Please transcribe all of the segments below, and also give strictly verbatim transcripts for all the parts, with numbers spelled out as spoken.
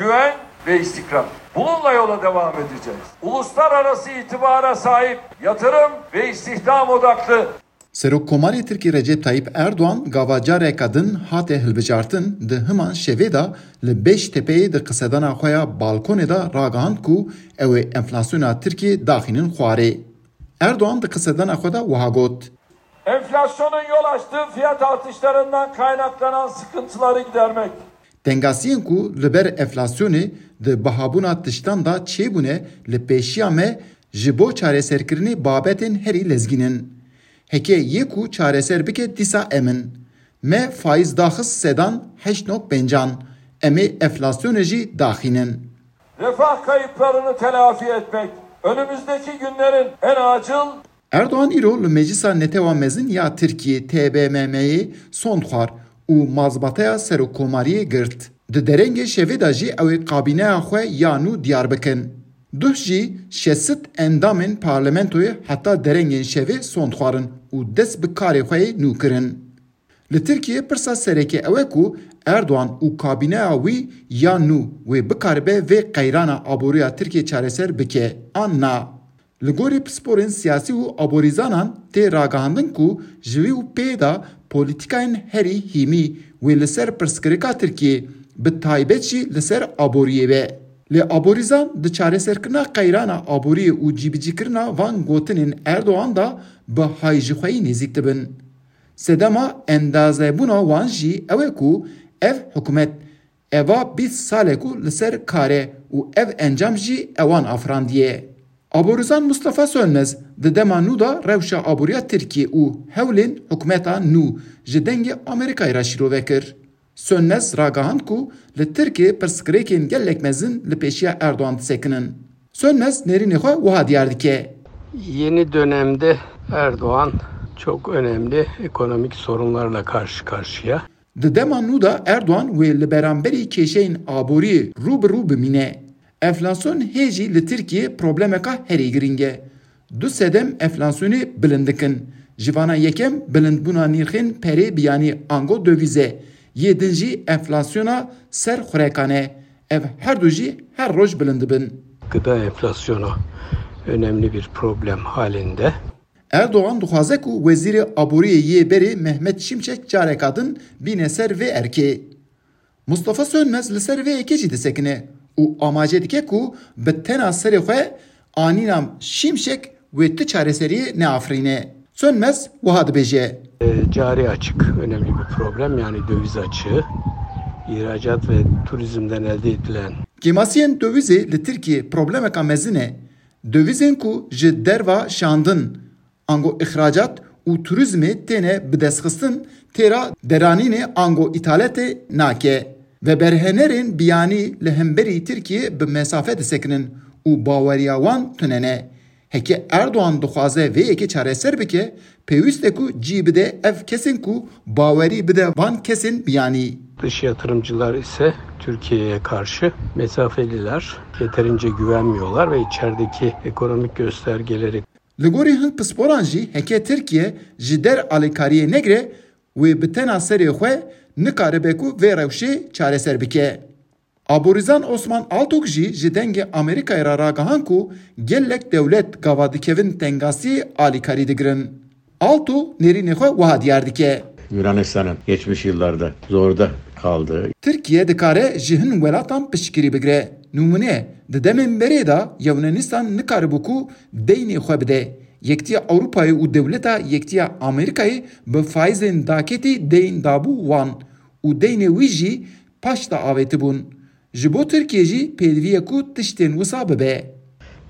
güven ve istikrar. Bununla yola devam edeceğiz. Uluslararası itibara sahip, yatırım ve istihdam odaklı. Serokkomarê Tirkî Recep Tayyip Erdoğan gava careke din hate hilbijartin, di himan şevê de li Beştepeyê di qisedana xwe ya balkonê de ragihand ku ew ê enflasyona Tirkiyê daxînin xwarê. Erdoğan di qisedana xwe de wiha got: Enflasyonun yol açtığı fiyat artışlarından kaynaklanan sıkıntıları gidermek. Tengasiyên ku li ber enflasyonê di bihabûna tiştan de çêbûne li pêşiya me ji bo çareserkirinê babetên herî lezgîn in. Heke yê ku çareser bike dîsa em in. Me faiz daxist sedan heşt nokta pêncan. Em ê enflasyonê jî daxînin. Refah kayıplarını telafi etmek önümüzdeki günlerin en acil Erdoğan îro li Meclisa Netewa Mezin ya Tirkiyê, T B M M'yê, sond xwar û mazbateya serokkomariyê girt. Di derengê şevê de jî ew ê kabîneya xwe ya nû diyar bikin. Duh jî şesit endamên parlamentoyê heta derengên şevê sond xwarin û dest bi karê xwe yê nû kirin. Li Tirkiyê pirsa sereke ew e ku Erdoğan û kabîneya wî ya nû wê bikaribe vê qeyrana aboriya Tirkiyê çareser bike an na. Li gorî pisporên siyasî û aborîzanan tê ragihandin ku ji vî û pê de polîtîkayên herî hîmî wê li ser pirsgirêka Tirkiyê, bi taybet jî li ser aboriyê be. Lê aborîzan di çareserkirina qeyrana aboriyê û cîbicîkirina van gotinên Erdoğan de bi hayjixweyî nêzîk dibin. Sedema endazebûna wan jî ew e ku ev hikûmet eva bîst sal e ku li ser kar e û ev encam jî ewan afirandiye. Aborîzan Mustafa Sönmez di dema nû de rewşa aboriya Tirkiyê û hewlên hikûmeta nû ji Dengê Amerîkayê re şîrove kir. Sönmez ragihand ku li Tirkiyê pirsgirêkên gelek mezin li pêşiya Erdoğan disekinin. Sönmez nêrînê xwe wiha diyar dike. Yeni dönemde Erdoğan çok önemli ekonomik sorunlarla karşı karşıya. Di dema nû de Erdoğan wê li beramberî kêşeyên aboriyê rû bi rû bimîne. Enflasyon hê jî li Tirkiyê problemeka herî girîng e. Du sedem enflasyonê bilind dikin. Ji vana yekem bilindbûna nirxên perê biyanî ango döviz e. Yê din jî enflasyona ser xurekan e. Ev her du jî her roj bilind dibin. Gıda enflasyonu önemli bir problem halinde. Erdoğan dixwaze ku Wezîrê Aboriyê yê berê Mehmet Şimşek careka din bîne ser vê erkê. Mustafa Sönmez li ser vê yekê jî disekine û amaje dike ku bi tena serê xwe anîna Şimşek wê tu çareseriyê neafirîne. Sönmez wiha dibêje. E, cari açık önemli bir problem, yani döviz açığı, ihracat ve turizmden elde edilen. Kêmasiyên dövizê li Tirkiyê problemeka mezin e. Dövizên ku ji derva şandin, ango îxracat û turizmê têne bidestxistin, têra deranînê ango îthalatê nake. Veberhenerên biyanî li hemberî Tirkiyê bi mesafe disekinin û baweriya wan tune ne. Heke Erdoğan dixwaze vê yekê çareser bike, pêwîst e ku cî bide ev kesên ku bawerî bide van kesên biyanî. Dış yatırımcılar ise Türkiye'ye karşı mesafeliler, yeterince güvenmiyorlar ve içerideki ekonomik göstergeleri Li gorî hin pisporan jî heke Tirkiye ji der alîkariyê negire, wê bi tena serê xwe nikaribe ku vê rewşê çareser bike. Aborîzan Osman Altok jî ji Dengê Amerîkayê re ragihand ku gelek dewlet gava dikevin tengasiyê alîkarî digirin. Alto nêrînê xwe wiha diyar dike. Yunanistan'ın geçmiş yıllarda zorda kaldığı. Tirkiye dikare ji hin welatan piştgirî bigire. Nimûne, di demên berê de Yunanistan nikaribû ku deynê xwe bide. Yektiya Ewropayê û dewleta Yektiya Amerîkayê bi faîzên daketî deyn dabû wan û deynê wî jî paş de avêtibûn. Ji bo Tirkiye jî pêdivî ye ku tiştên wisa bibe.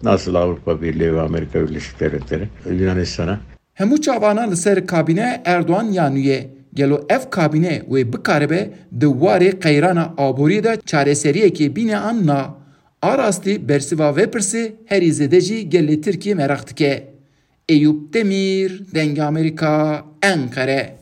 Nasıl Avrupa Birliği ve Amerika Birleşik Devletleri Yunanistan'a Hemû çavana li ser kabîneya Erdogan ya nû ye. Gelo ev kabîne wê bikaribe di warê qeyrana aboriyê de çareseriyekê bîne an na? A rastî bersiva vê pirsê herî zêde jî gelê Tirkiyê meraq dike. Eyûp Demîr, Dengê Amerîka, Enqere.